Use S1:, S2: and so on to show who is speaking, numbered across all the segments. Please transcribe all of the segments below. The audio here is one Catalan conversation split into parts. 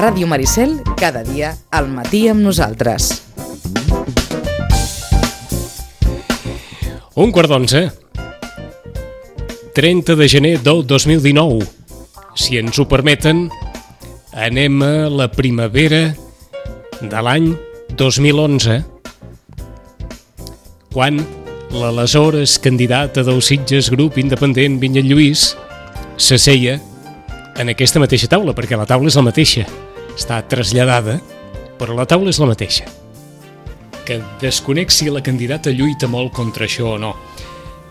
S1: Ràdio Maricel, cada dia al matí amb nosaltres.
S2: 11:15. 30 de gener del 2019. Si ens ho permeten, anem a la primavera de l'any 2011, quan l'aleshores candidata del Sitges Grup Independent Vinyet Lluís s'asseia en aquesta mateixa taula, perquè la taula és la mateixa. Està traslladada, però la taula és la mateixa. Que desconec si la candidata lluita molt contra això o no.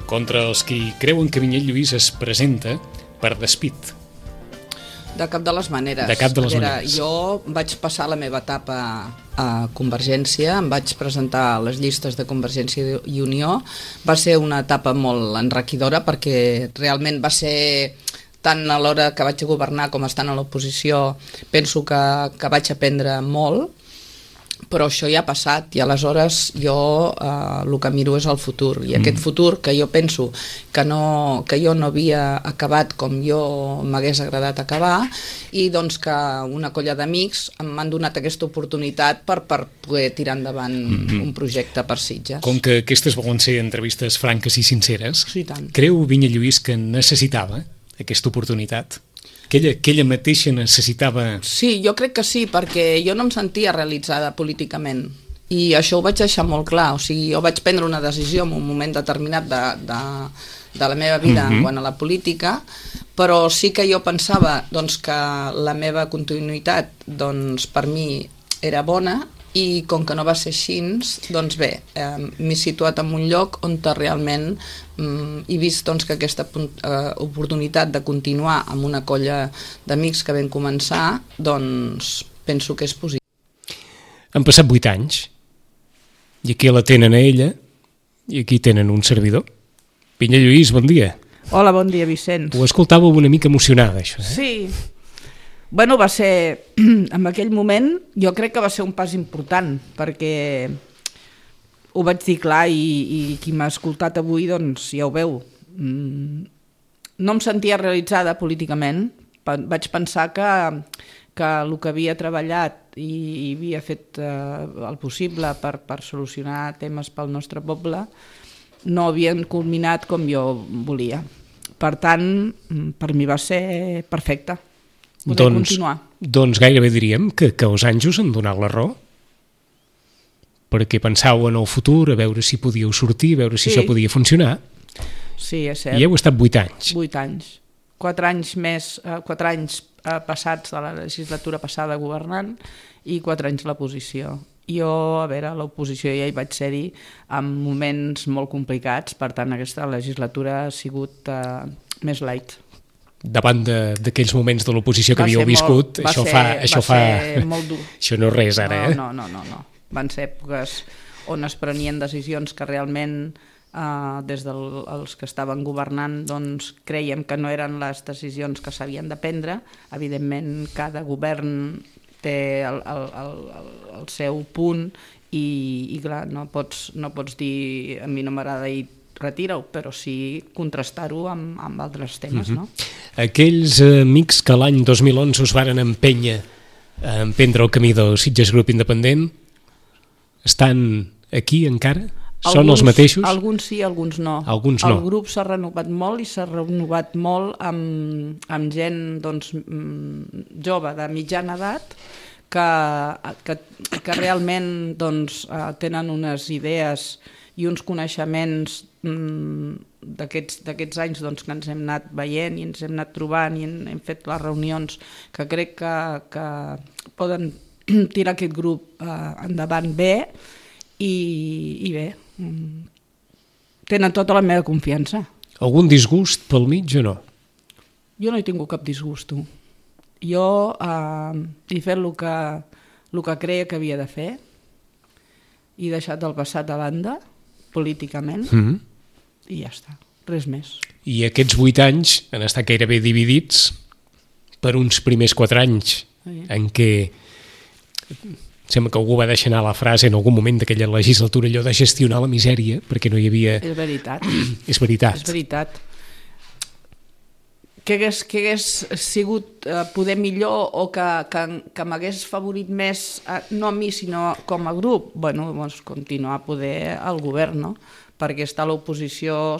S2: Contra els qui creuen que Vinyet Lluís es presenta per despit.
S3: De cap de les maneres.
S2: De cap de les maneres.
S3: Jo vaig passar la meva etapa a Convergència, em vaig presentar a les llistes de Convergència i Unió. Va ser una etapa molt enriquidora perquè realment va ser, tant a l'hora que vaig governar com estant a l'oposició, penso que vaig aprendre molt, però això ja ha passat i aleshores jo el que miro és el futur, i aquest futur que jo penso que jo no havia acabat com jo m'hagués agradat acabar, i doncs que una colla d'amics m'han donat aquesta oportunitat per poder tirar endavant un projecte per Sitges.
S2: Com que aquestes volen ser entrevistes franques i sinceres,
S3: Sí, tant.
S2: creu Vinyet Lluís que necessitava aquesta oportunitat? Que ella mateixa necessitava...
S3: Sí, jo crec que sí, perquè jo no em sentia realitzada políticament i això ho vaig deixar molt clar. O sigui, jo vaig prendre una decisió en un moment determinat de la meva vida en quant a la política, però sí que jo pensava doncs, que la meva continuïtat doncs, per mi era bona, i com que no va ser així, doncs bé, m'he situat en un lloc on realment he vist doncs, que aquesta oportunitat de continuar amb una colla d'amics que vam començar, doncs penso que és positiu.
S2: Han passat 8 anys i aquí la tenen a ella i aquí tenen un servidor. Vinyet Lluís, bon dia.
S4: Hola, bon dia, Vicenç.
S2: Ho escoltàveu una mica emocionada, això.
S4: Sí. Bueno, va ser, en aquell moment, jo crec que va ser un pas important, perquè ho vaig dir clar i qui m'ha escoltat avui, doncs ja ho veu. No em sentia realitzada políticament, vaig pensar que el que havia treballat i havia fet el possible per solucionar temes pel nostre poble no havien culminat com jo volia. Per tant, per mi va ser perfecte.
S2: Doncs gairebé diríem que els anys us han donat la raó, perquè pensàveu en el futur, a veure si podíeu sortir, a veure si això podia funcionar.
S4: Sí, és cert.
S2: I heu estat 8 anys.
S4: 8 anys. 4 anys més, 4 anys passats de la legislatura passada governant i 4 anys a l'oposició. Jo, a veure, a l'oposició ja hi vaig ser-hi en moments molt complicats, per tant aquesta legislatura ha sigut més light.
S2: Davant d'aquells moments de l'oposició que havíeu viscut, això
S4: molt dur.
S2: Això no és res ara, eh?
S4: No. Van ser èpoques on es prenien decisions que realment des dels que estaven governant doncs creiem que no eren les decisions que s'havien de prendre. Evidentment, cada govern té el seu punt i clar, no pots dir a mi no m'agrada i retira-ho, però sí contrastar-ho amb altres temes, no?
S2: Aquells amics que l'any 2011 us varen empènyer a emprendre el camí del Sitges Grup Independent estan aquí encara? Són els mateixos?
S4: Alguns sí, alguns no.
S2: Alguns no.
S4: El grup s'ha renovat molt i s'ha renovat molt amb gent doncs, jove, de mitjana edat, que realment doncs, tenen unes idees i uns coneixements d'aquests anys doncs, que ens hem anat veient i ens hem anat trobant i hem fet les reunions que crec que poden tirar aquest grup endavant bé i bé, tenen tota la meva confiança.
S2: Algun disgust pel mig o no?
S4: Jo no he tingut cap disgust. Jo he fet el que creia que havia de fer, he deixat el passat a banda políticament i ja està, res més.
S2: I aquests 8 anys han estat gairebé dividits per uns primers 4 anys en què sembla que algú va deixar anar la frase en algun moment d'aquella legislatura allò de gestionar la misèria perquè no hi havia...
S4: És veritat.
S2: És veritat.
S4: És veritat. que hagués sigut poder millor o que m'hagués favorit més, no a mi sinó com a grup, bueno, doncs continuar poder al govern, no? Perquè estar a l'oposició,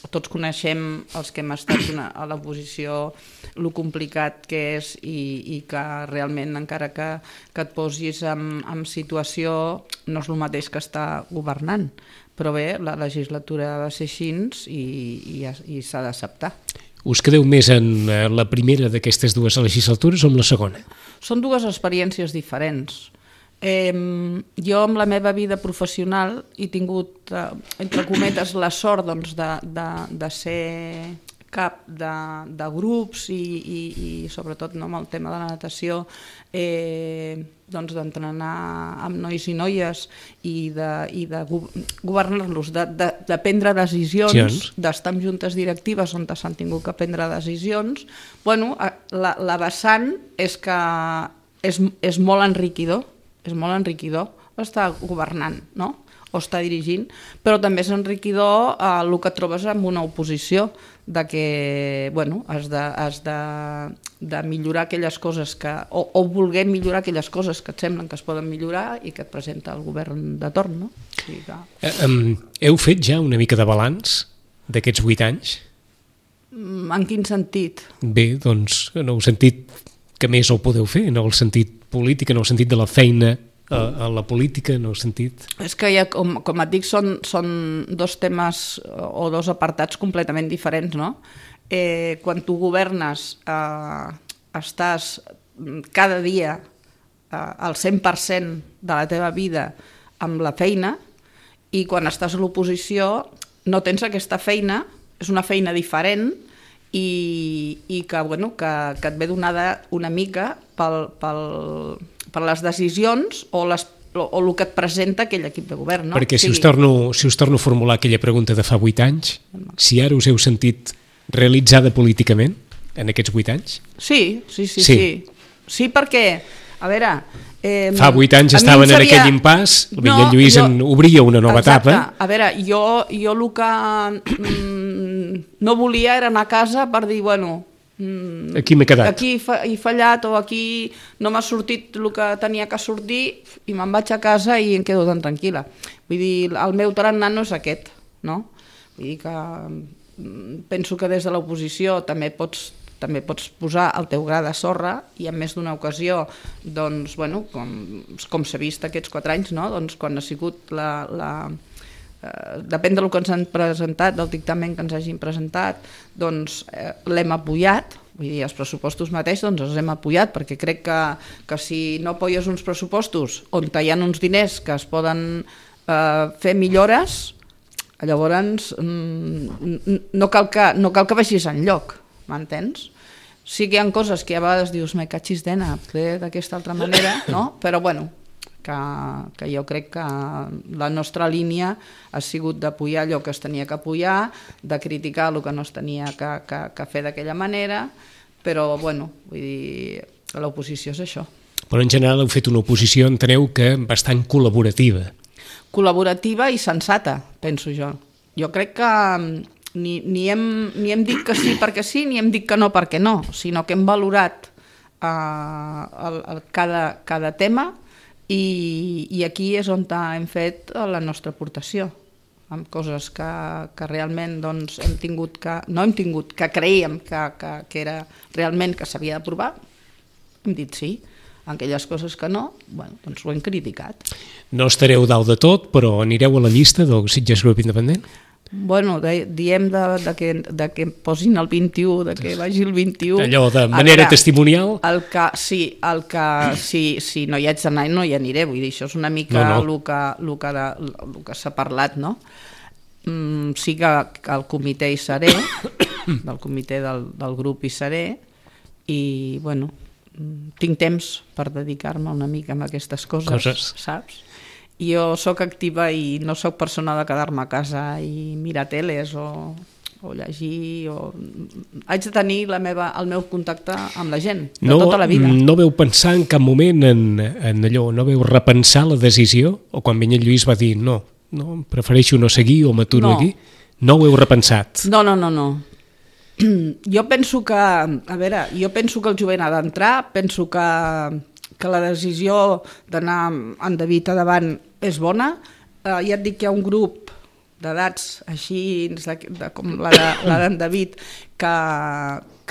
S4: tots coneixem els que hem estat a l'oposició, el complicat que és i que realment encara que et posis en situació no és el mateix que estar governant. Però bé, la legislatura va ser així i s'ha d'acceptar.
S2: Us quedeu més en la primera d'aquestes dues legislatures o en la segona?
S4: Són dues experiències diferents. Jo amb la meva vida professional he tingut, entre cometes, la sort de ser cap de grups i sobretot amb el tema de la natació d'entrenar amb nois i noies i de governar-los, de prendre decisions, d'estar en juntes directives on s'han tingut que prendre decisions. Bueno, la vessant és que és molt enriquidor, estar governant, no? O estar dirigint, però també és enriquidor el que trobes en una oposició, de que has de millorar aquelles coses o voler millorar aquelles coses que et semblen que es poden millorar i que et presenta el govern de torn, no? O sigui que...
S2: Heu fet ja una mica de balanç d'aquests 8 anys?
S4: En quin sentit?
S2: Bé, doncs, en el sentit que més ho podeu fer, en el sentit polític, en el sentit de la feina a la política, en el sentit... És
S4: que ja, com et dic, són dos temes o dos apartats completament diferents, no? Quan tu governes, estàs cada dia al 100% de la teva vida amb la feina, i quan estàs a l'oposició no tens aquesta feina, és una feina diferent, i que et ve donada una mica per les decisions o el que et presenta aquell equip de govern. No?
S2: Perquè si us torno a formular aquella pregunta de fa 8 anys, si ara us heu sentit realitzada políticament en aquests 8 anys?
S4: Sí. Sí, perquè, a veure...
S2: Fa 8 anys estaven en aquell impàs, el Vinyet Lluís obria una nova etapa.
S4: A veure, jo el que no volia era anar a casa per dir,
S2: aquí m'he quedat.
S4: Aquí he fallat o aquí no m'ha sortit el que tenia que sortir i me'n vaig a casa i em quedo tan tranquil·la. Vull dir, el meu tarannà no és aquest, no? Vull dir que penso que des de l'oposició també pots posar el teu gra de sorra i en més d'una ocasió, doncs, com s'ha vist aquests 4 anys, no? Doncs quan ha sigut depèn del que ens han presentat, del dictamen que ens hagin presentat, doncs l'hem apoyat, vull dir, els pressupostos mateix doncs els hem apoyat, perquè crec que si no apoyes uns pressupostos on hi ha uns diners que es poden fer millores, llavors no cal que vagis enlloc, m'entens? Sí que hi ha coses que a vegades dius, me cachis d'ena, d'aquesta altra manera, no? Però que jo crec que la nostra línia ha sigut d'apoyar allò que es tenia que apoyar, de criticar el que no es tenia que fer d'aquella manera, però, vull dir, l'oposició és això.
S2: Però en general heu fet una oposició, enteneu, que bastant col·laborativa.
S4: Col·laborativa i sensata, penso jo. Jo crec que ni hem dit que sí perquè sí, ni hem dit que no perquè no, sinó que hem valorat cada tema i aquí és on hem fet la nostra aportació, amb coses que realment hem tingut que creiem que era realment que s'havia d'aprovar, hem dit sí. En aquelles coses que no, doncs ho hem criticat.
S2: No estareu dalt de tot, però anireu a la llista del Sitges Grup Independent?
S4: Diem que posin el 21, de que vagi el 21.
S2: Allò de manera testimonial?
S4: Si no hi haig d'anar, no hi aniré. Vull dir, això és una mica el que s'ha parlat, no? Sí que al comitè hi seré, del comitè del grup hi seré, i, tinc temps per dedicar-me una mica a aquestes coses, saps? Jo sóc activa i no sóc persona de quedar-me a casa i mirar teles o llegir. Haig de tenir el meu contacte amb la gent de tota la vida.
S2: No veu pensar en cap moment en allò, no veu repensar la decisió? O quan Vinyet Lluís va dir no, prefereixo no seguir o m'aturo aquí? No ho heu repensat?
S4: No. Jo penso que, el jovent ha d'entrar, penso que la decisió d'anar en David a davant és bona. Ja et dic que hi ha un grup d'edats així com la d'en David que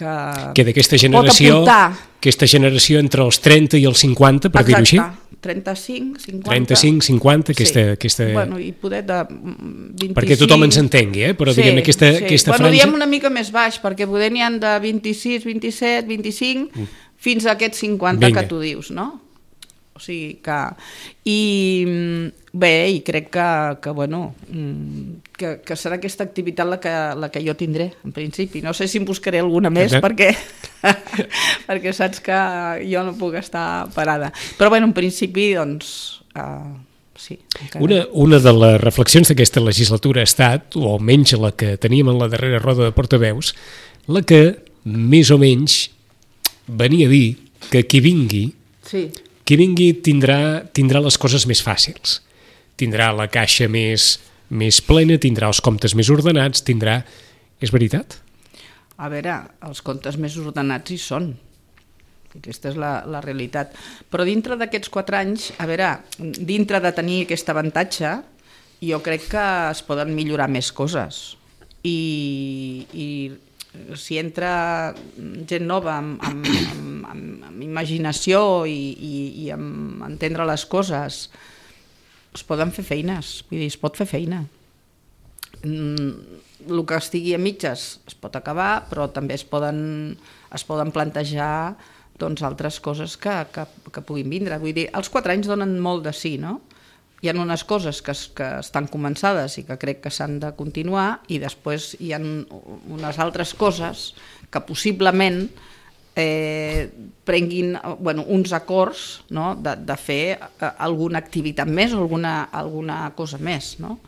S2: d'aquesta generació, aquesta generació entre els 30 i els 50, per dir-ho així.
S4: 35, 50...
S2: 35, 50, aquesta...
S4: Bueno, i poder de 25...
S2: Perquè tothom ens entengui, però diguem aquesta franja...
S4: Bueno, diem una mica més baix, perquè poder n'hi ha de 26, 27, 25, fins a aquests 50 que tu dius, no? O sigui que... I crec que serà aquesta activitat la que jo tindré, en principi. No sé si em buscaré alguna més, perquè saps que jo no puc estar parada. Però en principi, doncs... sí.
S2: Una de les reflexions d'aquesta legislatura ha estat, o almenys la que teníem en la darrera roda de portaveus, la que, més o menys, venia a dir que qui vingui...
S4: Sí.
S2: Qui vingui tindrà les coses més fàcils, tindrà la caixa més plena, tindrà els comptes més ordenats, tindrà... És veritat?
S4: A veure, els comptes més ordenats hi són. Aquesta és la realitat. Però dintre d'aquests 4 anys, a veure, dintre de tenir aquest avantatge, jo crec que es poden millorar més coses. I si entra gent nova amb imaginació i amb entendre les coses, es poden fer feines, vull dir, es pot fer feina. El que estigui a mitges es pot acabar, però també es poden plantejar doncs, altres coses que puguin vindre. Vull dir, els 4 anys donen molt de sí, no? Hi ha unes coses que estan començades i que crec que s'han de continuar, i després hi ha unes altres coses que possiblement prenguin uns acords, no? de fer alguna activitat més o alguna cosa més, no?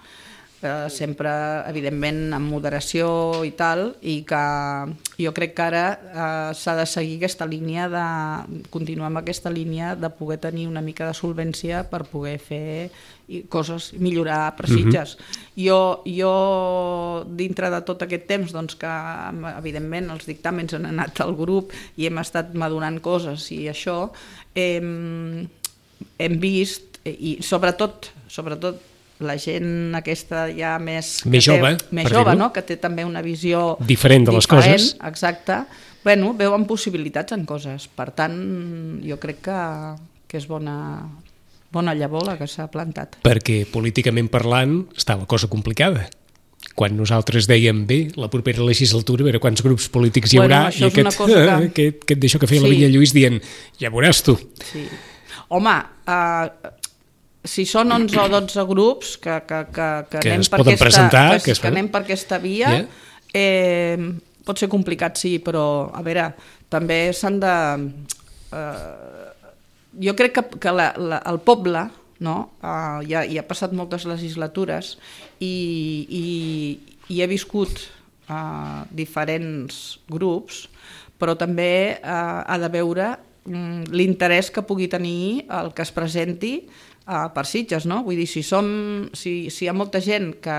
S4: Sempre, evidentment, amb moderació i tal, i que jo crec que ara s'ha de seguir aquesta línia, continuar amb aquesta línia de poder tenir una mica de solvència per poder fer coses, millorar per Sitges. Jo, dintre de tot aquest temps, doncs que evidentment els dictàmens han anat al grup i hem estat madurant coses i això, hem vist, i sobretot la gent aquesta ja més jove, no? Que té també una visió
S2: diferent de les coses.
S4: Exacte. Veuen possibilitats en coses. Per tant, jo crec que és bona llavor la que s'ha plantat.
S2: Perquè políticament parlant està la cosa complicada. Quan nosaltres dèiem la propera legislatura, a veure quants grups polítics hi haurà, i aquest d'això que feia la Vinya Lluís dient, ja veuràs tu.
S4: Sí. Home, si són 11 o 12 grups que anem per aquesta via, pot ser complicat, sí, però a veure, també s'han de... Jo crec que el poble, no? Ja ha passat moltes legislatures i he viscut diferents grups, però també ha de veure l'interès que pugui tenir el que es presenti per Sitges, no? Vull dir, si hi ha molta gent que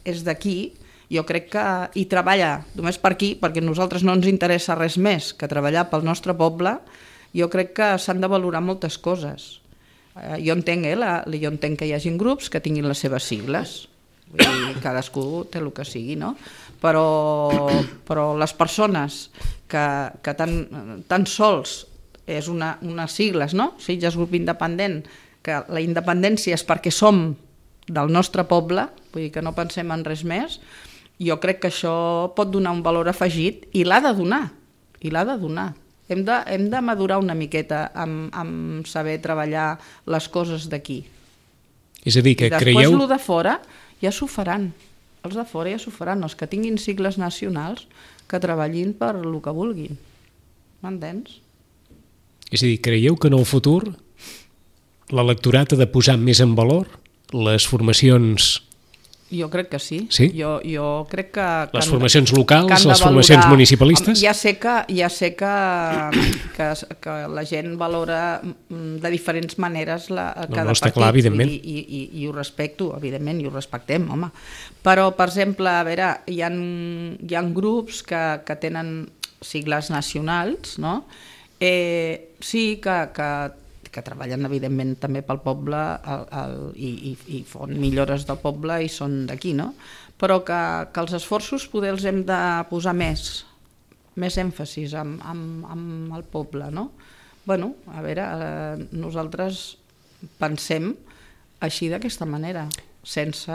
S4: és d'aquí, jo crec que hi treballa només per aquí, perquè a nosaltres no ens interessa res més que treballar pel nostre poble, jo crec que s'han de valorar moltes coses. Jo entenc que hi hagi grups que tinguin les seves sigles, vull dir, cadascú té el que sigui, no? Però les persones que tan sols és unes sigles, no? Sitges Grup Independent, que la independència és perquè som del nostre poble, vull dir que no pensem en res més, jo crec que això pot donar un valor afegit i l'ha de donar. Hem de madurar una miqueta amb saber treballar les coses d'aquí.
S2: És a dir, que
S4: després
S2: creieu...
S4: el de fora ja s'ho faran. Els de fora ja s'ho faran. Els que tinguin sigles nacionals que treballin per el que vulguin. M'entens?
S2: És a dir, creieu que en el futur l'electorat ha de posar més en valor les formacions
S4: Jo crec que sí.
S2: Sí?
S4: Jo crec que...
S2: Les formacions locals, les formacions municipalistes?
S4: Ja sé que la gent valora de diferents maneres cada
S2: no, està
S4: partit.
S2: clar, evidentment.
S4: I ho respecto, evidentment, i ho respectem, home. Però, per exemple, a veure, hi ha grups que tenen sigles nacionals, no? Sí que treballen evidentment també pel poble i fan millores del poble i són d'aquí, no? Però que els esforços poder els hem de posar més èmfasis amb el poble, no? Bueno, a veure, nosaltres pensem així d'aquesta manera, sense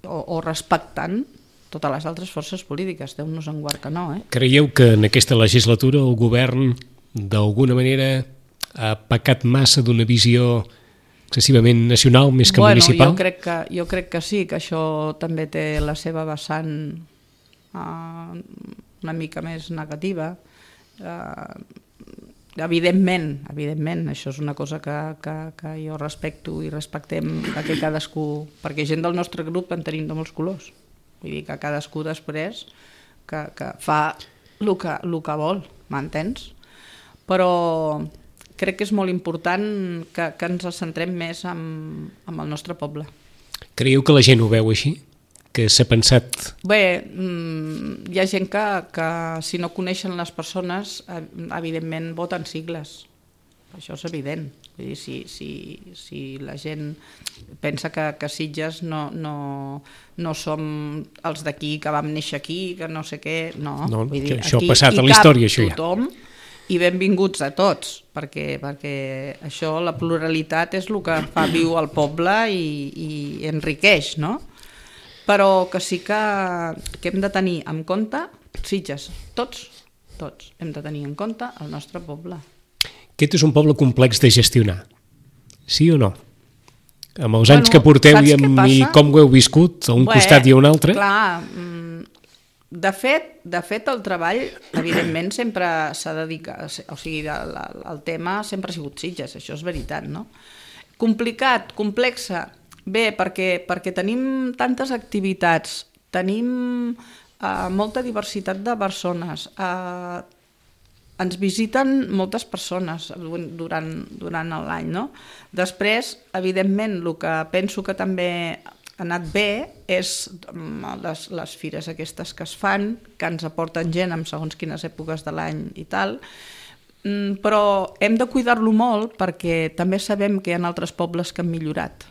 S4: o respectant totes les altres forces polítiques, Déu-nos en guard que no,
S2: Creieu que en aquesta legislatura el govern d'alguna manera ha pecat massa d'una visió excessivament nacional més que municipal?
S4: Jo crec que sí, que això també té la seva vessant una mica més negativa. Evidentment, això és una cosa que jo respecto i respectem que cadascú, perquè gent del nostre grup en tenim de molts colors. Vull dir que cadascú després que fa el que vol, m'entens? Però crec que és molt important que ens centrem més en el nostre poble.
S2: Creieu que la gent ho veu així? Que s'ha pensat...
S4: Bé, hi ha gent que si no coneixen les persones, evidentment voten sigles. Això és evident. Vull dir, si la gent pensa que Sitges no som els d'aquí, que vam néixer aquí, que no sé què... No, vull dir,
S2: això ha passat a la història, això ja.
S4: Tothom, i benvinguts a tots, perquè això, la pluralitat és el que fa viu el poble i enriqueix, no? Però que sí que hem de tenir en compte Sitges, tots hem de tenir en compte el nostre poble.
S2: Aquest és un poble complex de gestionar, sí o no? Amb els anys que porteu i com ho heu viscut, a un costat i a un altre?
S4: Clar, de fet, el treball, evidentment, sempre s'ha dedicat, o sigui, el tema sempre ha sigut Sitges, això és veritat, no? Complicat, complexa, bé, perquè tenim tantes activitats, tenim molta diversitat de persones, ens visiten moltes persones durant l'any, no? Després, evidentment, el que penso que també ha anat bé és les fires aquestes que es fan, que ens aporten gent en segons quines èpoques de l'any i tal, però hem de cuidar-lo molt perquè també sabem que hi ha altres pobles que han millorat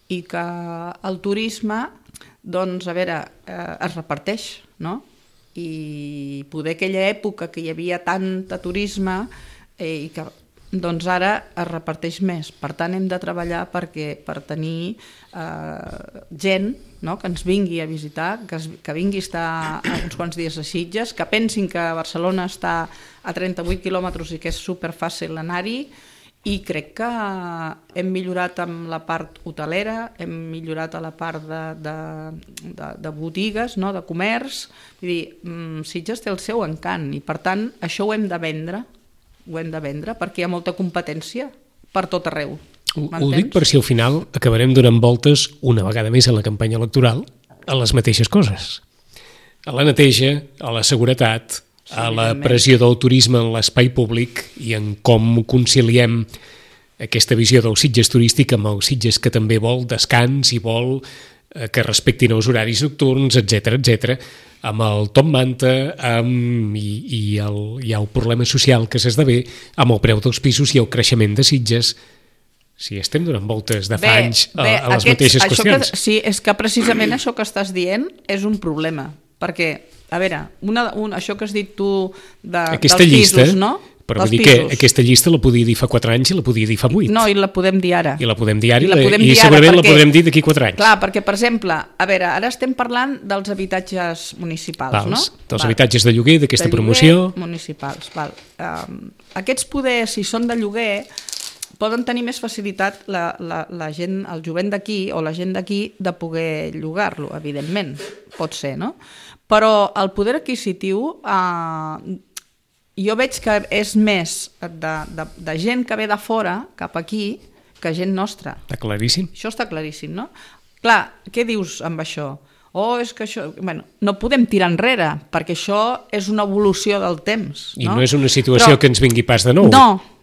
S4: i que el turisme, doncs, a veure, es reparteix, no? I poder aquella època que hi havia tant de turisme i que doncs ara es reparteix més. Per tant, hem de treballar per tenir gent, no?, que ens vingui a visitar, que vingui a estar uns quants dies a Sitges, que pensin que Barcelona està a 38 quilòmetres i que és superfàcil anar-hi, i crec que hem millorat amb la part hotelera, hem millorat a la part de botigues, no?, de comerç. Vull dir, Sitges té el seu encant i, per tant, això ho hem de vendre, perquè hi ha molta competència per tot arreu.
S2: Ho dic per si al final acabarem donant voltes una vegada més en la campanya electoral a les mateixes coses. A la neteja, a la seguretat, a la pressió del turisme en l'espai públic i en com conciliem aquesta visió del Sitges turístic amb el Sitges que també vol descans i vol que respectin els horaris nocturns, etc, amb el top manta i el problema social que s'esdevé amb el preu dels pisos i el creixement de Sitges. Si estem donant voltes de fa anys a les mateixes qüestions.
S4: Sí, és que precisament això que estàs dient és un problema, perquè, a veure, això que has dit tu dels pisos, no?
S2: Però vull dir que aquesta llista la podia dir fa 4 anys i la podia dir fa 8.
S4: No, i la podem dir ara.
S2: I la podem dir ara i segurament la podrem dir d'aquí 4 anys.
S4: Clar, perquè, per exemple, a veure, ara estem parlant dels habitatges municipals, no?
S2: Dels habitatges de lloguer, d'aquesta promoció.
S4: Municipals, val. Aquests poders, si són de lloguer, poden tenir més facilitat la gent, el jovent d'aquí o la gent d'aquí de poder llogar-lo, evidentment, pot ser, no? Però el poder adquisitiu jo veig que és més de gent que ve de fora cap aquí que gent nostra.
S2: Està claríssim.
S4: Això està claríssim, no? Clar, què dius amb això? És que això... Bueno, no podem tirar enrere, perquè això és una evolució del temps.
S2: I no és una situació que ens vingui pas de nou.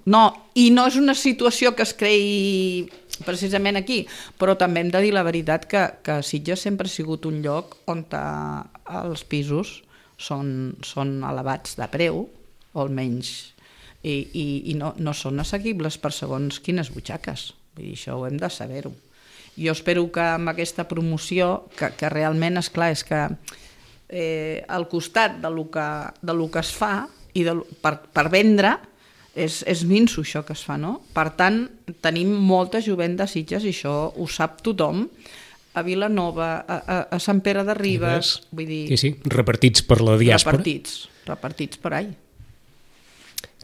S4: No, i no és una situació que es creï precisament aquí, però també hem de dir la veritat que Sitges sempre ha sigut un lloc on els pisos són elevats de preu, o almenys, i no són assequibles per segons quines butxaques. Vull dir, això ho hem de saber-ho. Jo espero que amb aquesta promoció, que realment, esclar, és que al costat del que es fa i per vendre, és minso això que es fa, no? Per tant, tenim molta jovent de Sitges i això ho sap tothom, a Vilanova, a Sant Pere de Ribes, vull dir...
S2: Sí, repartits per la diàspora.
S4: Repartits per ahí.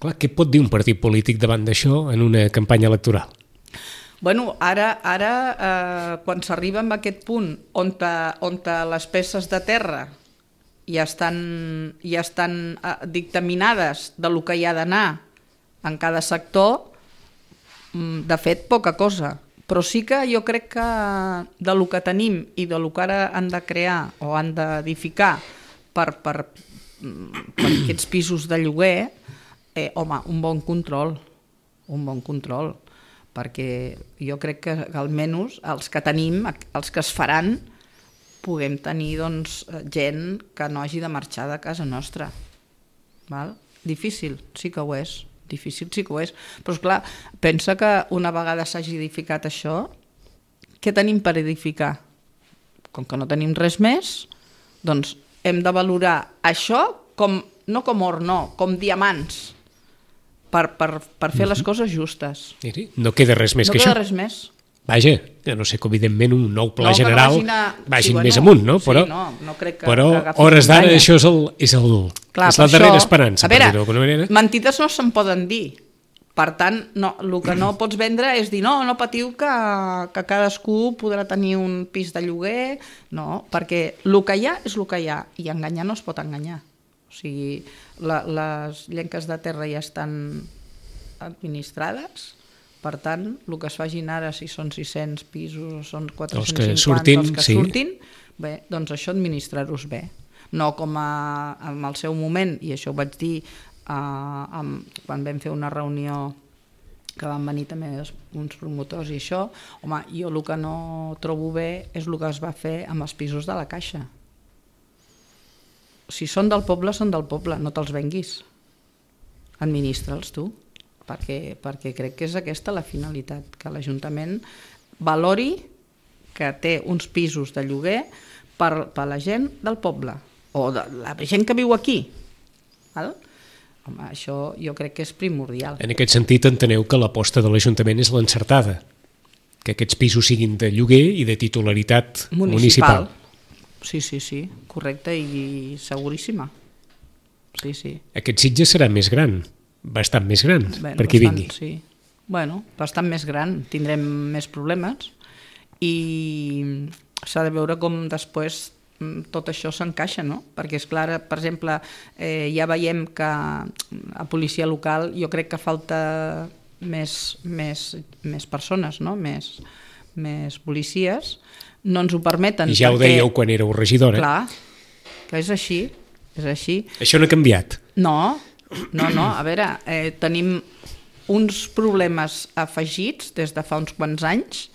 S2: Clar, què pot dir un partit polític davant d'això en una campanya electoral?
S4: Bueno, ara quan s'arriba a aquest punt on les peces de terra ja estan dictaminades de lo que hi ha d'anar en cada sector, de fet, poca cosa. Però sí que jo crec que de lo que tenim i de lo que ara han de crear o han d'edificar per aquests pisos de lloguer, home, un bon control, perquè jo crec que almenys els que tenim, els que es faran, puguem tenir doncs, gent que no hagi de marxar de casa nostra. Val? Difícil, sí que ho és. Però esclar, pensa que una vegada s'hagi edificat això, què tenim per edificar? Com que no tenim res més, doncs hem de valorar això no com or, com diamants, per fer les coses justes.
S2: No queda res més que això.
S4: No queda res més.
S2: Vaja, que no sé que evidentment un nou pla general vagin més amunt, no? Però a hores d'ara això és la darrera esperança, per dir-ho d'alguna manera.
S4: Mentides no se'n poden dir. Per tant, el que no pots vendre és dir no patiu que cadascú podrà tenir un pis de lloguer. No, perquè el que hi ha és el que hi ha i enganyar no es pot enganyar. O sigui, les llenques de terra ja estan administrades. Per tant, el que es facin ara, si són 600 pisos o són 450, els que surtin, bé, doncs això administrar-los bé. No com en el seu moment, i això ho vaig dir quan vam fer una reunió que van venir també uns promotors i això, home, jo el que no trobo bé és el que es va fer amb els pisos de la Caixa. Si són del poble, no te'ls venguis. Administra'ls tu. Perquè crec que és aquesta la finalitat, que l'Ajuntament valori que té uns pisos de lloguer per la gent del poble o de la gent que viu aquí. Home, això jo crec que és primordial.
S2: En aquest sentit enteneu que l'aposta de l'Ajuntament és l'encertada, que aquests pisos siguin de lloguer i de titularitat municipal.
S4: Sí, correcte i seguríssima. Sí.
S2: Aquest Sitges serà més gran, bastant més gran, per qui vingui.
S4: Sí. Bastant més gran, tindrem més problemes i s'ha de veure com després tot això s'encaixa, no? Perquè és clar, per exemple, ja veiem que a policia local jo crec que falta més persones, no? Més policies, no ens ho permeten.
S2: I ja ho dèieu quan éreu regidora.
S4: Clar, que és així.
S2: Això no ha canviat.
S4: No, a veure, tenim uns problemes afegits des de fa uns quants anys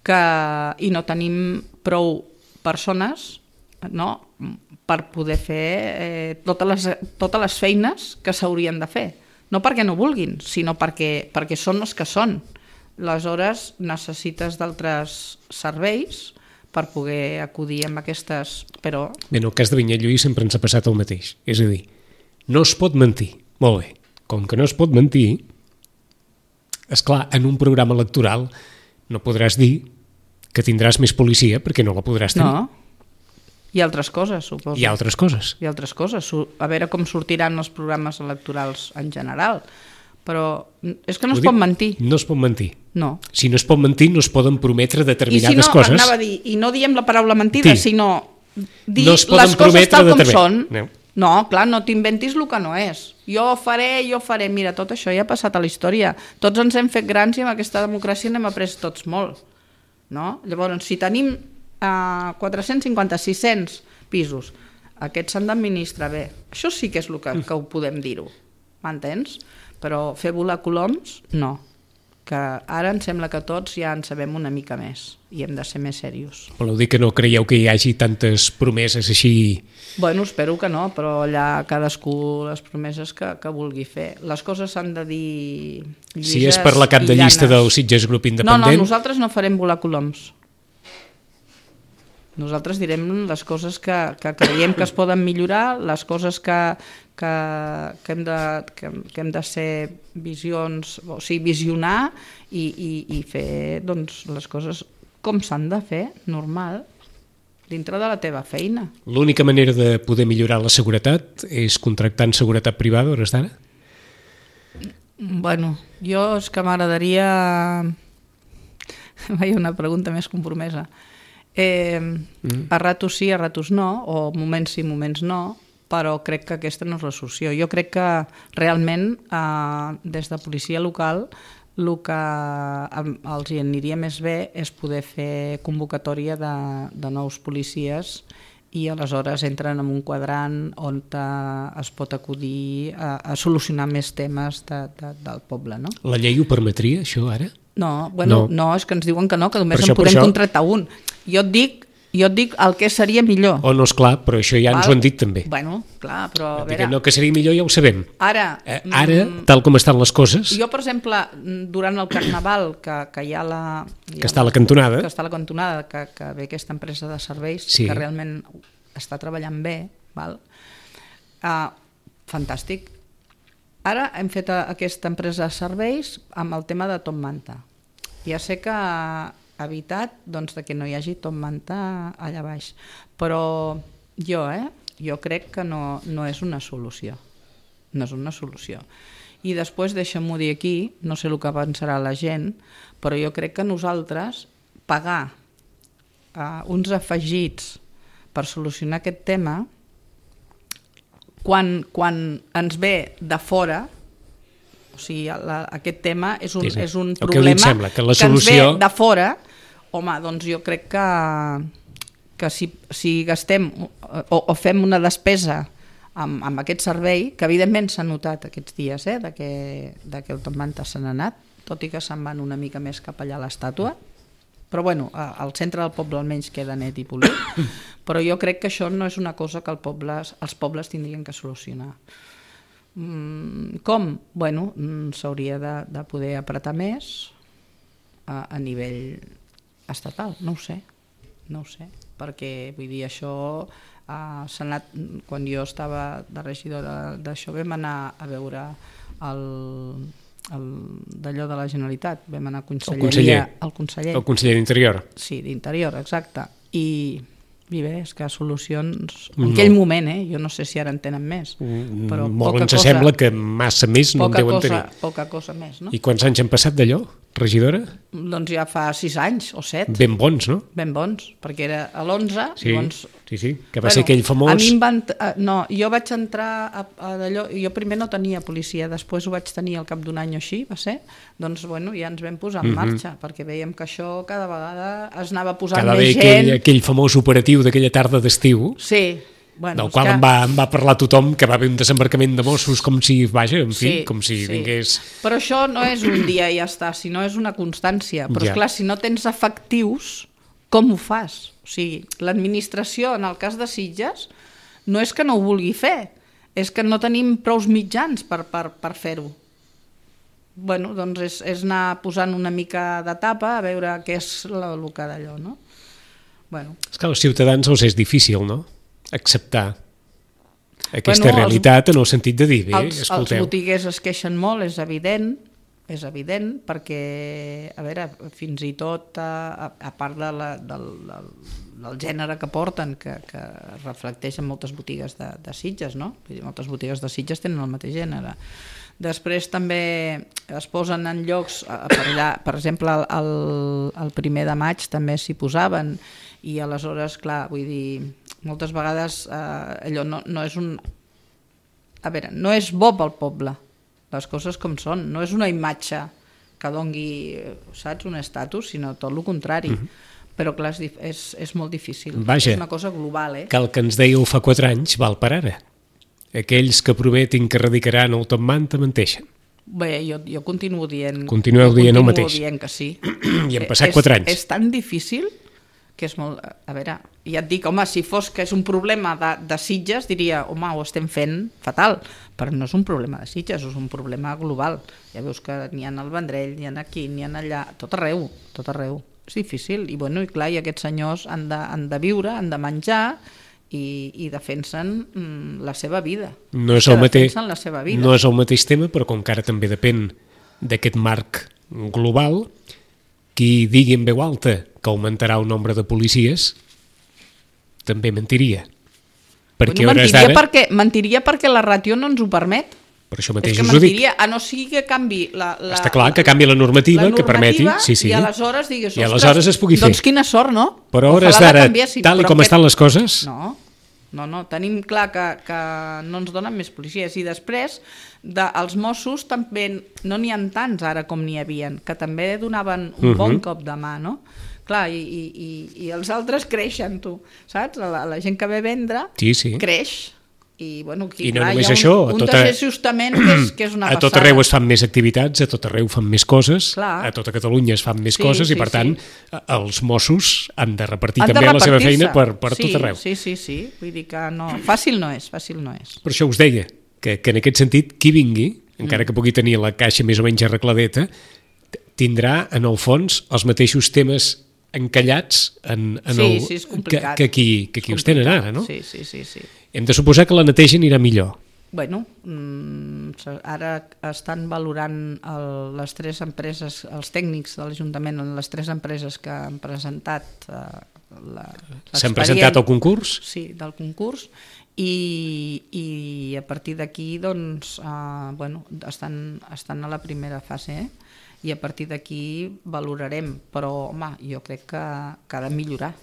S4: i no tenim prou persones per poder fer totes les feines que s'haurien de fer. No perquè no vulguin, sinó perquè són els que són. Aleshores necessites d'altres serveis per poder acudir amb aquestes... Però...
S2: Bé, en el cas de Vinyalluís sempre ens ha passat el mateix. És a dir, no es pot mentir. Molt bé. Com que no es pot mentir, esclar, en un programa electoral no podràs dir que tindràs més policia perquè no la podràs tenir.
S4: No. I altres coses, suposo.
S2: I altres coses.
S4: A veure com sortiran els programes electorals en general. Però és que no es pot mentir.
S2: No es pot mentir.
S4: No.
S2: Si no es pot mentir, no es poden prometre determinades coses.
S4: Anava a dir, i no diem la paraula mentida, sinó dir
S2: no es poden
S4: les coses tal com són.
S2: No,
S4: clar, no t'inventis el que no és. Jo faré. Mira, tot això ja ha passat a la història. Tots ens hem fet grans i amb aquesta democràcia n'hem après tots molt. no? Llavors, si tenim 450-600 pisos, aquests s'han d'administrar bé. Això sí que és el que ho podem dir-ho, m'entens? Però fer volar coloms, no. Que ara em sembla que tots ja en sabem una mica més i hem de ser més serios.
S2: Voleu dir que no creieu que hi hagi tantes promeses així?
S4: Bueno, espero que no, però allà cadascú les promeses que vulgui fer. Les coses s'han de dir llises.
S2: Si és per la cap de llista del Sitges Grup Independent...
S4: No, nosaltres no farem volar coloms. Nosaltres direm les coses que creiem que es poden millorar, les coses que hem de ser visions, o sigui, visionar i fer doncs, les coses com s'han de fer, normal, dintre de la teva feina.
S2: L'única manera de poder millorar la seguretat és contractant seguretat privada, hores d'ara?
S4: Bueno, jo és que m'agradaria... Vaja, una pregunta més compromesa. A ratos sí, a ratos no, o moments sí, moments no, però crec que aquesta no és la solució. Jo crec que realment des de policia local el que els hi aniria més bé és poder fer convocatòria de nous policies i aleshores entren en un quadrant on es pot acudir a solucionar més temes del poble. No?
S2: La llei ho permetria, això, ara?
S4: No, bueno, no, és que ens diuen que no, que només en podem contractar un. Jo et dic el que seria millor.
S2: Oh, no, esclar, però això ja ens ho han dit també.
S4: Bueno, clar, però a
S2: veure... No, que seria millor ja ho sabem.
S4: Ara,
S2: tal com estan les coses...
S4: Jo, per exemple, durant el Carnaval, que hi ha la...
S2: Que està a la cantonada.
S4: Que està a la cantonada, que ve aquesta empresa de serveis,
S2: sí,
S4: que realment està treballant bé, val? Fantàstic. Ara hem fet aquesta empresa de serveis amb el tema de Top Manta. Ja sé que ha evitat doncs, que no hi hagi Top Manta allà baix, però jo crec que no és una solució. No és una solució. I després, deixa'm-ho dir aquí, no sé el que pensarà la gent, però jo crec que nosaltres pagar uns afegits per solucionar aquest tema, quan ens ve de fora, o sigui, aquest tema és un problema
S2: que ens ve
S4: de fora, home, doncs jo crec que si gastem o fem una despesa amb aquest servei, que evidentment s'ha notat aquests dies, que el Top Manta se n'ha anat, tot i que se'n van una mica més cap allà a l'estàtua, però bueno, al centre del poble almenys queda net i polit, però jo crec que això no és una cosa que els pobles tindrien que solucionar. Com? Bueno, s'hauria de poder apretar més a nivell estatal, no ho sé, perquè vull dir, això s'ha anat, quan jo estava de regidora d'això, vam anar a veure d'allò de la Generalitat, vam anar a conselleria, el
S2: conseller d'Interior.
S4: Sí, d'Interior, exacte, i bé, és que solucions en aquell moment, jo no sé si ara en tenen més, però
S2: molt ens sembla que massa més no en deuen tenir.
S4: Poca cosa més, no?
S2: I quants anys han passat d'allò, regidora?
S4: Doncs ja fa 6 anys o 7.
S2: Ben bons, no?
S4: Ben bons, perquè era a l'11.
S2: Sí,
S4: llavors,
S2: sí, que va ser aquell famós...
S4: A mi no, jo vaig entrar a d'allò, jo primer no tenia policia, després ho vaig tenir al cap d'un any o així, va ser, doncs bueno, ja ens vam posar en marxa, perquè veiem que això cada vegada es anava posant més gent.
S2: Aquell famós operatiu d'aquella tarda d'estiu,
S4: sí, bueno,
S2: del qual em va parlar tothom, que va haver un desembarcament de Mossos com si, com si vingués...
S4: Però això no és un dia i ja està, sinó és una constància. Però esclar, si no tens efectius, com ho fas? O sigui, l'administració, en el cas de Sitges, no és que no ho vulgui fer, és que no tenim prous mitjans per fer-ho. Bueno, doncs és anar posant una mica de tapa a veure què és el que d'allò, no? Bueno.
S2: És que als ciutadans els és difícil, no?, acceptar aquesta realitat en el sentit de dir, bé, escolteu...
S4: Els botiguers es queixen molt, és evident, perquè, a veure, fins i tot, a part del gènere que porten, que reflecteix en moltes botigues de Sitges, no? Vull dir, moltes botigues de Sitges tenen el mateix gènere. Després també es posen en llocs, per exemple, el 1er de maig també s'hi posaven, i aleshores, clar, vull dir, moltes vegades allò no és un... A veure, no és bo pel poble, les coses com són, no és una imatge que dongui, saps, un estatus, sinó tot el contrari. Però clar, és molt difícil.
S2: Vaja,
S4: és una cosa global,
S2: que el que ens dèieu fa 4 anys val per ara. Aquells que prometin que erradicaran el top manta menteixen.
S4: Bé, jo continuo dient...
S2: Continueu dient el mateix.
S4: Continuo dient que sí.
S2: I han passat 4 anys.
S4: És tan difícil que és molt... A veure, ja et dic, home, si fos que és un problema de Sitges, diria, home, ho estem fent fatal. Però no és un problema de Sitges, és un problema global. Ja veus que n'hi ha al Vendrell, n'hi ha aquí, n'hi ha allà, tot arreu, tot arreu. És difícil. I, bueno, i clar, i aquests senyors han de viure, han de menjar i defensen la seva vida.
S2: No és el mateix,
S4: la seva vida.
S2: no és el mateix tema, però com que ara també depèn d'aquest marc global, qui digui en veu alta que augmentarà el nombre de policies també mentiria. Perquè
S4: mentiria perquè la ràtio no ens ho permet.
S2: Per això mateix
S4: és que
S2: us ho dic.
S4: mentiria, a no sigui que canvi
S2: Està clar que canvi la normativa que permeti. Sí.
S4: I aleshores digues,
S2: i aleshores es pugui fer.
S4: Doncs quina sort, no?
S2: Però a hores d'ara, tal com estan les coses...
S4: No, tenim clar que no ens donen més policies. I després, els Mossos també no n'hi ha tants ara com n'hi havien, que també donaven un bon cop de mà, no? Clar, i els altres creixen, tu, saps? La gent que ve a vendre creix. I, bueno, aquí,
S2: I no
S4: clar,
S2: només
S4: hi ha
S2: això,
S4: un desajustament que és una passada.
S2: A tot arreu es fan més activitats, a tot arreu fan més coses,
S4: clar.
S2: A tota Catalunya es fan més coses i per tant els Mossos han de repartir també la seva feina per tot arreu.
S4: Sí, vull dir que no, fàcil no és.
S2: Per això us deia que en aquest sentit qui vingui, encara que pugui tenir la caixa més o menys arregladeta, tindrà en el fons els mateixos temes encallats que qui us tenen ara, no?
S4: Sí.
S2: Hem de suposar que la neteja anirà millor.
S4: Bueno, ara estan valorant les 3 empreses, els tècnics de l'Ajuntament, les 3 empreses que han presentat
S2: s'han presentat al concurs?
S4: Sí, del concurs, i a partir d'aquí doncs, estan a la primera fase, i a partir d'aquí valorarem, però home, jo crec que ha de millorar,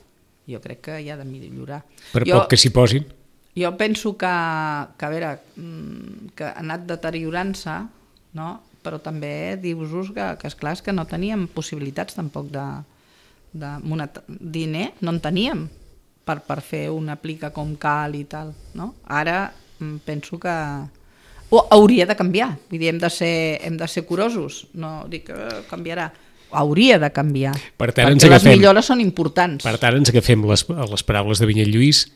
S4: jo crec que hi ha de millorar.
S2: Per poc que s'hi posin?
S4: Jo penso que a veure, que ha anat deteriorant-se, no? Però també dius-vos que esclar, és que no teníem possibilitats tampoc de diner, no en teníem per fer una plica com cal i tal, no? Ara penso que hauria de canviar, vull dir, hem de ser curosos, no dic que canviarà, hauria de canviar, perquè les millores són importants.
S2: Per tant, ens agafem les paraules de Vinyet Lluís.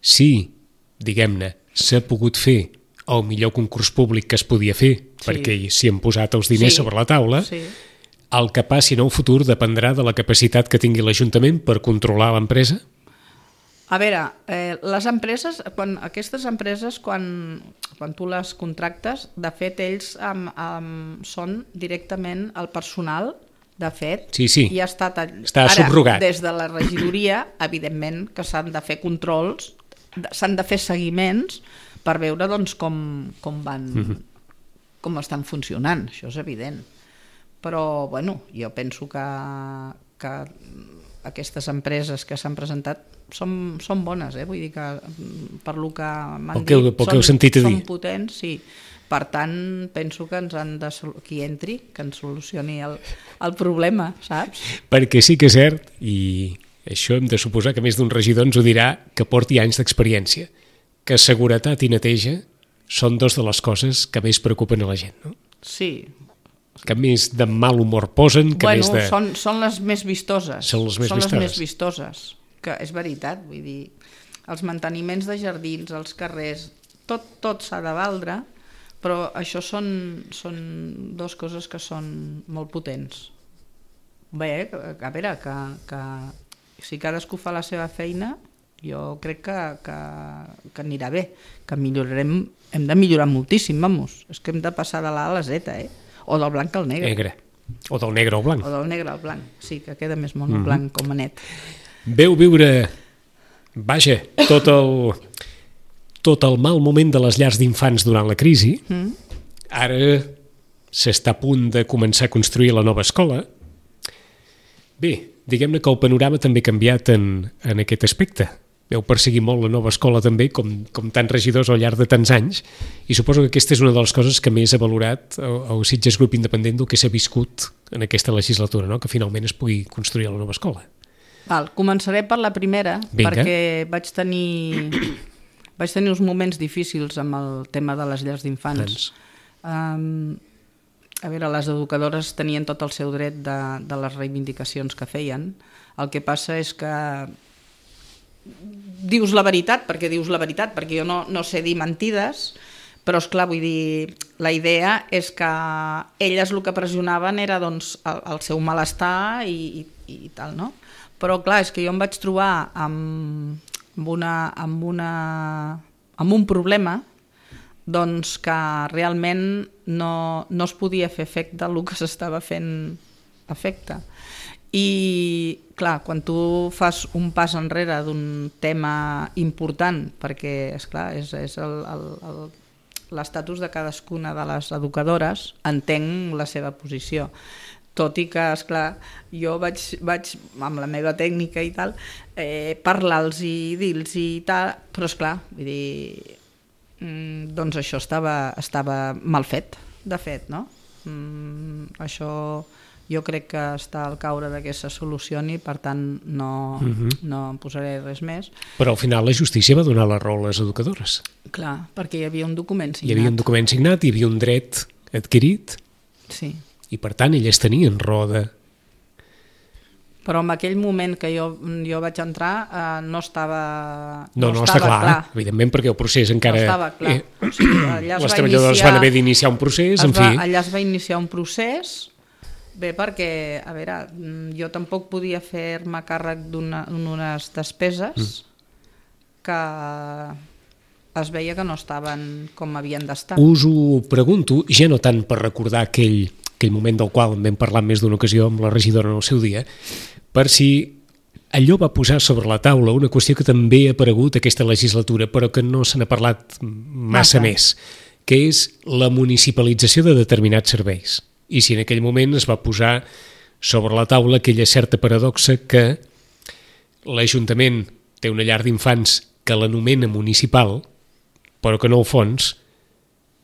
S2: Sí, diguem-ne, s'ha pogut fer el millor concurs públic que es podia fer, perquè s'hi han posat els diners sobre la taula, el que passi en el futur dependrà de la capacitat que tingui l'Ajuntament per controlar l'empresa?
S4: A veure, les empreses, aquestes empreses, quan tu les contractes, de fet, ells són directament el personal, de fet, i ha estat
S2: subrogat.
S4: Des de la regidoria, evidentment que s'han de fer controls, s'han de fer seguiments per veure doncs, com estan funcionant, això és evident. Però, bueno, jo penso que aquestes empreses que s'han presentat són bones, vull dir que per lo que m'han dit són potents, sí. Per tant, penso que ens han de qui entri, que ens solucioni el problema, saps?
S2: Perquè sí que és cert, i això hem de suposar que més d'un regidor ens ho dirà, que porti anys d'experiència, que seguretat i neteja són 2 de les coses que més preocupen a la gent, no?
S4: Sí.
S2: Que més de mal humor posen, que més de...
S4: Són les més vistoses.
S2: Són les més
S4: vistoses. Que és veritat, vull dir, els manteniments de jardins, els carrers, tot s'ha de valdre, però això són 2 coses que són molt potents. Bé, a veure, que si cadascú fa la seva feina, jo crec que anirà bé, que millorarem, hem de millorar moltíssim, vamos. És que hem de passar de l'A a la Z, o del blanc al negre.
S2: O del negre al blanc.
S4: O del negre al blanc, sí, que queda més mono blanc com a net.
S2: Veu viure, vaja, tot el mal moment de les llars d'infants durant la crisi. Ara s'està a punt de començar a construir la nova escola. Bé, diguem-ne que el panorama també ha canviat en aquest aspecte. veu perseguir molt la nova escola també, com tants regidors al llarg de tants anys, i suposo que aquesta és una de les coses que més ha valorat el Sitges Grup Independent del que s'ha viscut en aquesta legislatura, no? Que finalment es pugui construir la nova escola.
S4: Començaré per la primera.
S2: Vinga.
S4: Perquè vaig tenir uns moments difícils amb el tema de les llars d'infants. A veure, les educadores tenien tot el seu dret de les reivindicacions que feien. El que passa és que dius la veritat, perquè jo no sé dir mentides, però esclar, vull dir, la idea és que elles el que pressionaven era doncs, el seu malestar i tal, no? Però clar, és que jo em vaig trobar amb un problema doncs que realment no es podia fer efecte el que s'estava fent efecte. I clar, quan tu fas un pas enrere d'un tema important, perquè esclar, és l'estatus de cadascuna de les educadores, entenc la seva posició. Tot i que, esclar, jo vaig amb la meva tècnica i tal, parlar-los i dir-los i tal, però esclar, vull dir, doncs això estava mal fet, de fet, no? Això jo crec que està al caure que se solucioni, per tant no em posaré res més.
S2: Però al final la justícia va donar la raó a les educadores.
S4: Clar, perquè hi havia un document signat.
S2: Hi havia un document signat, hi havia un dret adquirit,
S4: sí.
S2: I per tant elles tenien raó de...
S4: Però en aquell moment que jo vaig entrar no estava
S2: està clar, evidentment, perquè el procés encara...
S4: No estava clar. O sigui,
S2: les treballadores van haver d'iniciar un procés, en fi...
S4: Allà es va iniciar un procés, bé, perquè, a veure, jo tampoc podia fer-me càrrec d'unes despeses que es veia que no estaven com havien d'estar.
S2: Us ho pregunto, ja no tant per recordar aquell moment del qual en vam parlar més d'una ocasió amb la regidora en el seu dia, per si allò va posar sobre la taula una qüestió que també ha aparegut aquesta legislatura, però que no se n'ha parlat massa més, que és la municipalització de determinats serveis. I si en aquell moment es va posar sobre la taula aquella certa paradoxa que l'Ajuntament té una llar d'infants que l'anomena municipal, però que en el fons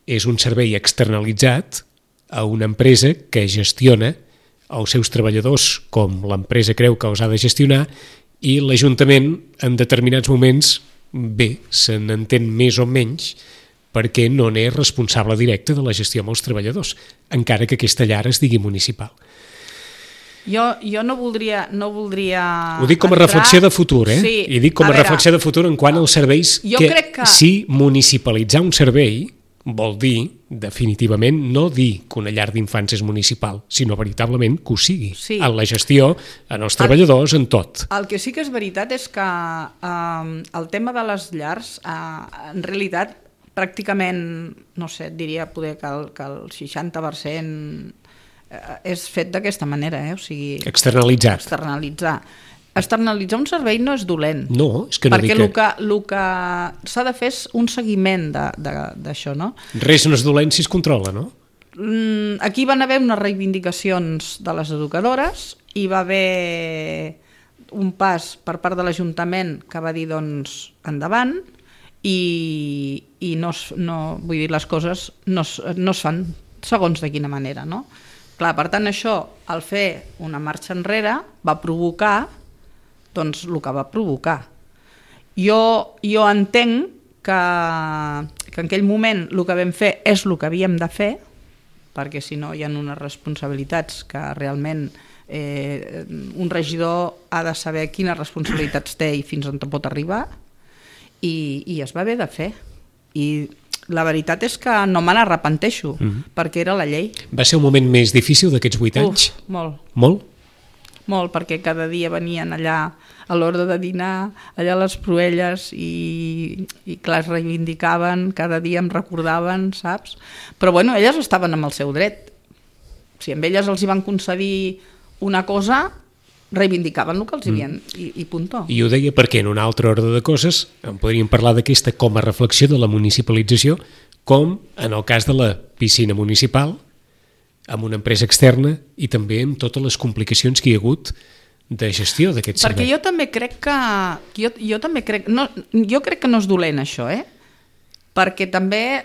S2: és un servei externalitzat a una empresa que gestiona els seus treballadors com l'empresa creu que els ha de gestionar, i l'Ajuntament en determinats moments, bé, se n'entén més o menys perquè no n'és responsable directe de la gestió amb els treballadors, encara que aquesta llar es digui municipal.
S4: Jo no voldria
S2: ho dic com a reflexió de futur,
S4: Sí,
S2: i dic com a reflexió de futur en quant als serveis que si municipalitzar un servei vol dir, definitivament, no dir que una llar d'infants és municipal, sinó veritablement que ho sigui, en la gestió, en els treballadors, en tot.
S4: El que sí que és veritat és que el tema de les llars, en realitat, pràcticament, no sé, et diria poder que el 60% és fet d'aquesta manera, o sigui... Externalitzar. Externalitzar un servei no és dolent.
S2: No, és que no dic que...
S4: Perquè el que s'ha de fer és un seguiment d'això, no?
S2: Res no és dolent si es controla, no?
S4: Aquí van haver unes reivindicacions de les educadores i va haver un pas per part de l'Ajuntament que va dir, doncs, endavant, i no, vull dir, les coses no es fan segons de quina manera, no? Clar, per tant, això, al fer una marxa enrere, va provocar doncs el que va provocar. Jo entenc que en aquell moment el que vam fer és el que havíem de fer, perquè si no hi ha unes responsabilitats que realment un regidor ha de saber quines responsabilitats té i fins on pot arribar, i es va haver de fer. I la veritat és que no me n'arrepenteixo, perquè era la llei.
S2: Va ser un moment més difícil d'aquests 8 anys?
S4: Molt.
S2: Molt?
S4: Molt, perquè cada dia venien allà a l'hora de dinar, allà a les Proelles, i clar, es reivindicaven, cada dia em recordaven, saps? Però bueno, elles estaven amb el seu dret. Si amb elles els hi van concedir una cosa, reivindicaven el que els havien, i puntó.
S2: I ho deia perquè en un altre ordre de coses en podríem parlar d'aquesta com a reflexió de la municipalització, com en el cas de la piscina municipal, amb una empresa externa, i també amb totes les complicacions que hi ha hagut de gestió d'aquest servei.
S4: Perquè jo també crec que... Jo també crec... No, jo crec que no és dolent, això, Perquè també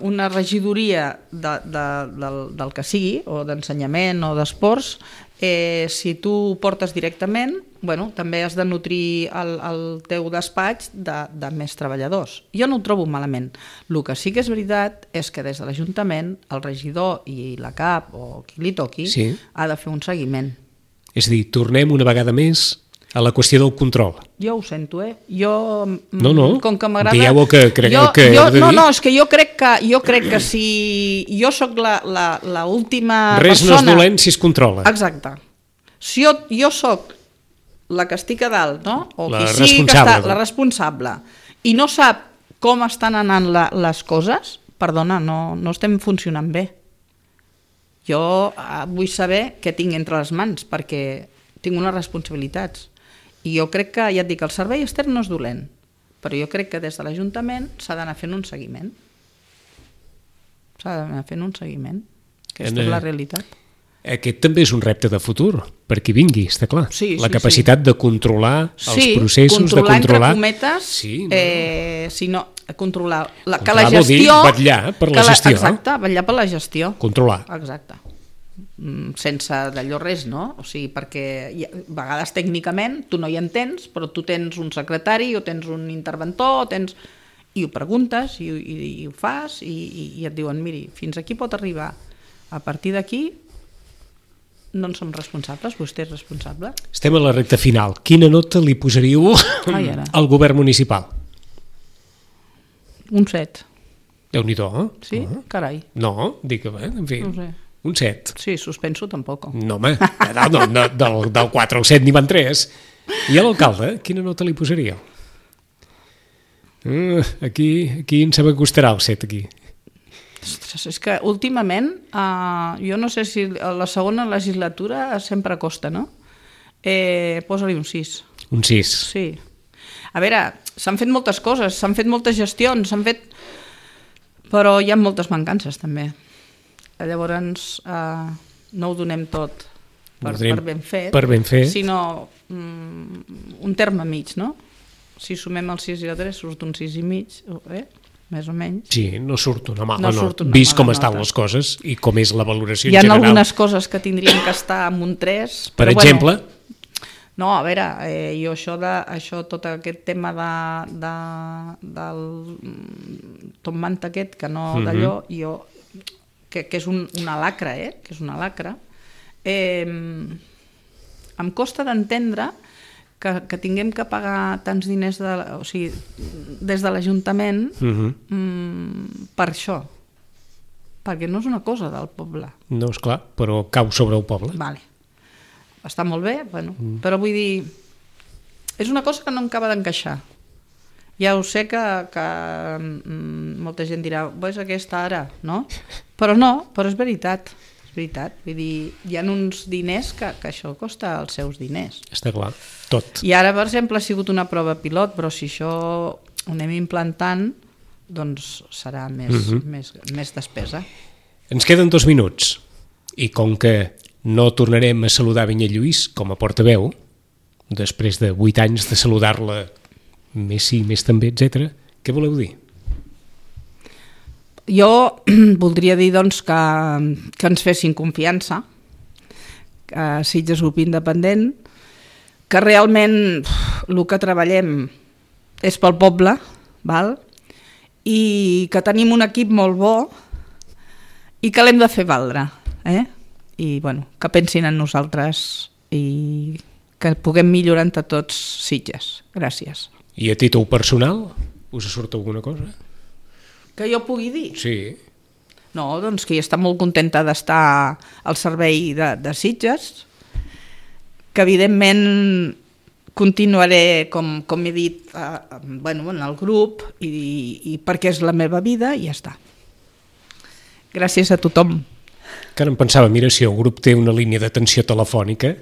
S4: una regidoria del que sigui, o d'ensenyament o d'esports, si tu ho portes directament, també has de nutrir el teu despatx de més treballadors. Jo no ho trobo malament. El que sí que és veritat és que des de l'Ajuntament, el regidor i la CAP, o qui li toqui, ha de fer un seguiment.
S2: És a dir, tornem una vegada més a la qüestió del control.
S4: Jo ho sento, Jo...
S2: No,
S4: com que m'agrada...
S2: dieu que creieu que heu de dir...
S4: No, és que jo crec que si jo sóc la última
S2: res
S4: persona...
S2: no és dolent si es controla.
S4: Exacte. Si jo sóc la que estic a dalt, no? O
S2: La
S4: qui sigui
S2: responsable.
S4: que està, la responsable, i no sap com estan anant les coses, perdona, no estem funcionant bé. Jo vull saber què tinc entre les mans, perquè tinc unes responsabilitats. I jo crec que, ja et dic, el servei extern no és dolent, però jo crec que des de l'Ajuntament s'ha d'anar fent un seguiment. Aquesta és la realitat.
S2: Aquest també és un repte de futur, per qui vingui, està clar.
S4: Sí,
S2: la capacitat de controlar els processos, de controlar...
S4: entre cometes, controlar que la
S2: vol dir
S4: gestió...
S2: vetllar per la gestió.
S4: Exacte, vetllar per la gestió.
S2: Controlar.
S4: Exacte. Sense d'allò res, no? O sigui, perquè a vegades tècnicament tu no hi entens, però tu tens un secretari o tens un interventor, i ho preguntes i ho fas i et diuen, miri, fins aquí pot arribar. A partir d'aquí no en som responsables, vostè és responsable.
S2: Estem a la recta final. Quina nota li posaríeu al govern municipal?
S4: Un 7.
S2: Déu-n'hi-do,
S4: Sí? Carai.
S2: No, dic que bé, en fi.
S4: No sé.
S2: Un 7.
S4: Sí, suspenso tampoc.
S2: No, home, del 4 al 7 n'hi van 3. I a l'alcalde, quina nota li posaríeu? Aquí em sembla que costarà el 7, aquí.
S4: Ostres, és que últimament, jo no sé si a la segona legislatura sempre costa, no? Posa-li un 6.
S2: Un 6.
S4: Sí. A veure, s'han fet moltes coses, s'han fet moltes gestions, però hi ha moltes mancances també. Llavors no ho donem tot per ben fet, sinó un terme mig, no? Si sumem el 6 i el 3 surt un 6 i mig, més o menys.
S2: Sí, no surt una mala nota. Vist com estan les coses i com és la valoració
S4: general.
S2: Hi
S4: ha algunes coses que tindrien que estar amb un 3.
S2: Per exemple?
S4: No, a veure, jo tot aquest tema del Tom Manta aquest, que no d'allò, que és una lacra, que és una lacra, em costa d'entendre que tinguem que pagar tants diners des de l'Ajuntament per això, perquè no és una cosa del poble.
S2: No, esclar, però cau sobre el poble.
S4: Vale. Està molt bé, però vull dir, és una cosa que no em acaba d'encaixar. Ja ho sé que molta gent dirà, és aquesta ara, no? Però és veritat. És veritat. Vull dir, hi ha uns diners que això costa els seus diners.
S2: Està clar, tot.
S4: I ara, per exemple, ha sigut una prova pilot, però si això ho anem implantant, doncs serà més despesa.
S2: Ens queden 2 minuts. I com que no tornarem a saludar Vinyalluís com a portaveu, després de 8 anys de saludar-la més sí, més també, etc. Què voleu dir?
S4: Jo voldria dir doncs, que ens fessin confiança, que Sitges Grup Independent, que realment el que treballem és pel poble, val? I que tenim un equip molt bo i que l'hem de fer valdre. I que pensin en nosaltres i que puguem millorar entre tots Sitges. Gràcies.
S2: I a títol personal, us surt alguna cosa?
S4: Que jo pugui dir?
S2: Sí.
S4: No, doncs que jo està molt contenta d'estar al servei de Sitges, que evidentment continuaré, com he dit, en el grup, i perquè és la meva vida i ja està. Gràcies a tothom.
S2: Que ara em pensava, mira, si el grup té una línia d'atenció telefònica,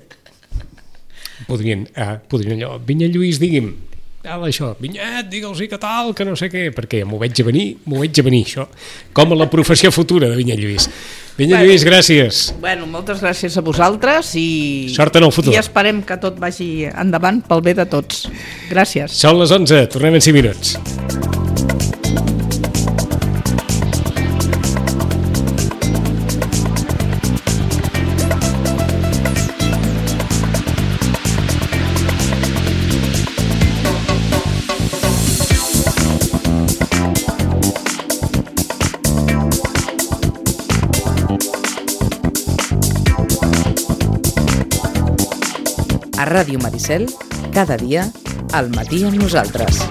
S2: podrien allò, Vinyalluís, digui'm, això, Vinyet, digue'ls-hi que tal, que no sé què, perquè m'ho veig a venir, això, com a la professió futura de Vinyet Lluís. Vinyet Lluís, gràcies.
S4: Bueno, moltes gràcies a vosaltres i...
S2: Sort en el futur.
S4: I esperem que tot vagi endavant pel bé de tots. Gràcies.
S2: Són les 11, tornem en 5 minuts.
S1: A Ràdio Maricel, cada dia, al matí amb nosaltres.